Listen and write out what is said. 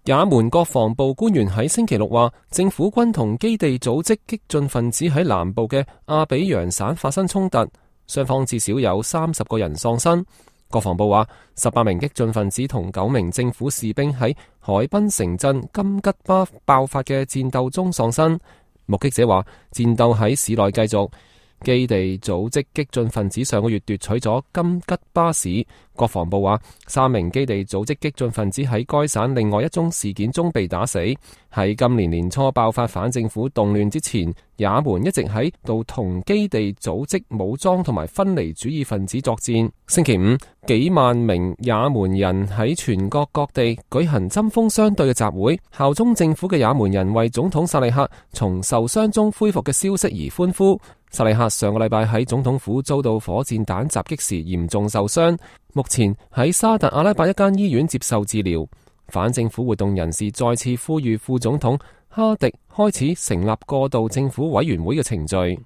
也門國防部官員喺星期六話，政府軍同基地組織激進分子喺南部嘅阿比揚省發生衝突，雙方至少有30個人喪生。國防部話，18名激進分子同9名政府士兵喺海濱城鎮金吉巴爆發嘅戰鬥中喪生。目擊者話，戰鬥喺市內繼續。基地組織激進分子上個月奪取咗金吉巴市。國防部話，3名基地組織激進分子喺該省另外一宗事件中被打死。喺今年年初爆發反政府動亂之前，也門一直喺度同基地組織武裝同埋分離主義分子作戰。星期五，幾萬名也門人喺全國各地舉行針鋒相對嘅集會，效忠政府嘅也門人為總統薩利克從受傷中恢復嘅消息而歡呼。薩利克上個禮拜喺總統府遭到火箭彈襲擊時嚴重受傷，目前喺沙特阿拉伯一間醫院接受治療。反政府活動人士再次呼籲副總統哈迪開始成立過渡政府委員會嘅程序。